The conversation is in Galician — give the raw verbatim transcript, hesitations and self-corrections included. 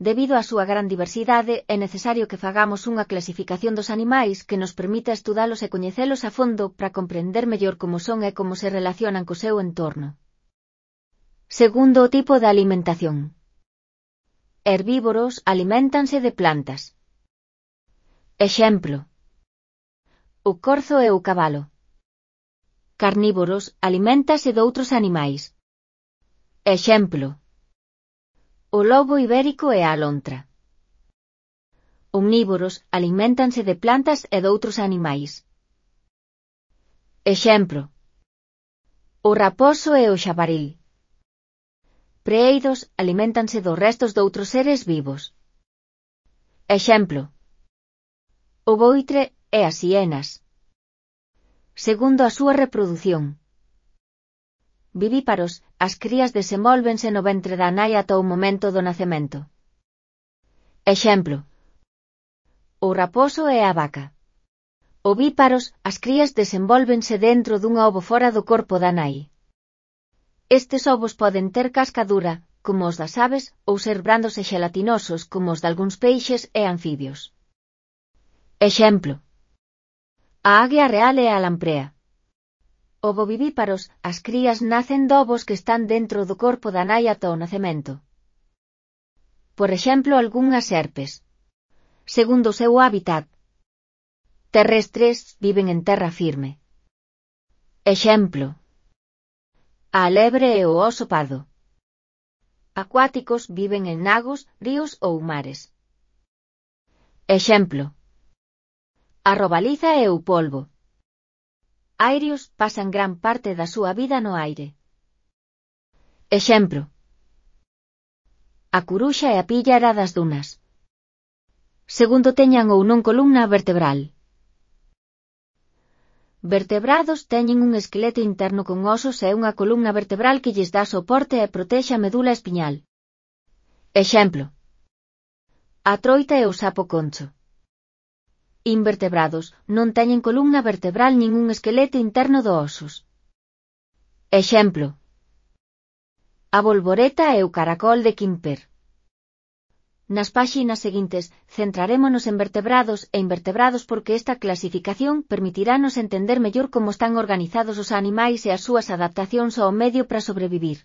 Debido á súa gran diversidade, é necesario que fagamos unha clasificación dos animais que nos permita estudalos e coñecelos a fondo para comprender mellor como son e como se relacionan co seu entorno. Segundo o tipo de alimentación. Herbívoros aliméntanse de plantas. Exemplo: o corzo e o cabalo. Carnívoros aliméntase doutros animais. Exemplo: o lobo ibérico e a alontra. Omnívoros aliméntanse de plantas e doutros animais. Exemplo: o raposo e o xabaril. Preeidos aliméntanse dos restos doutros seres vivos. Exemplo: o boitre e as hienas. Segundo a súa reprodución. Vivíparos, as crías desenvólvense no ventre da nai ata o momento do nacemento. Exemplo: o raposo e a vaca. Ovíparos, as crías desenvólvense dentro dunha ovo fora do corpo da nai. Estes ovos poden ter casca dura, como os das aves, ou ser brandos e xelatinosos, como os dalgúns peixes e anfibios. Exemplo: a águia real e a lamprea. Ovovivíparos, as crías nacen de ovos que están dentro do corpo da nai ata o nacemento. Por exemplo, algunhas serpes. Segundo o seu hábitat terrestres, viven en terra firme. Exemplo: a lebre e o oso pardo. Acuáticos, viven en lagos, ríos ou mares. Exemplo: a robaliza e o polvo. Aéreos, pasan gran parte da súa vida no aire. Exemplo: a curuxa e a píllara das dunas. Segundo teñan ou non columna vertebral. Vertebrados teñen un esqueleto interno con osos e unha columna vertebral que lles dá soporte e protexe a medula espiñal. Exemplo: a troita e o sapo concho. Invertebrados, non teñen columna vertebral nin un esqueleto interno do osos. Exemplo: a bolboreta e o caracol de Quimper. Nas páxinas seguintes, centrarémonos en vertebrados e invertebrados porque esta clasificación permitirános entender mellor como están organizados os animais e as súas adaptacións ao medio para sobrevivir.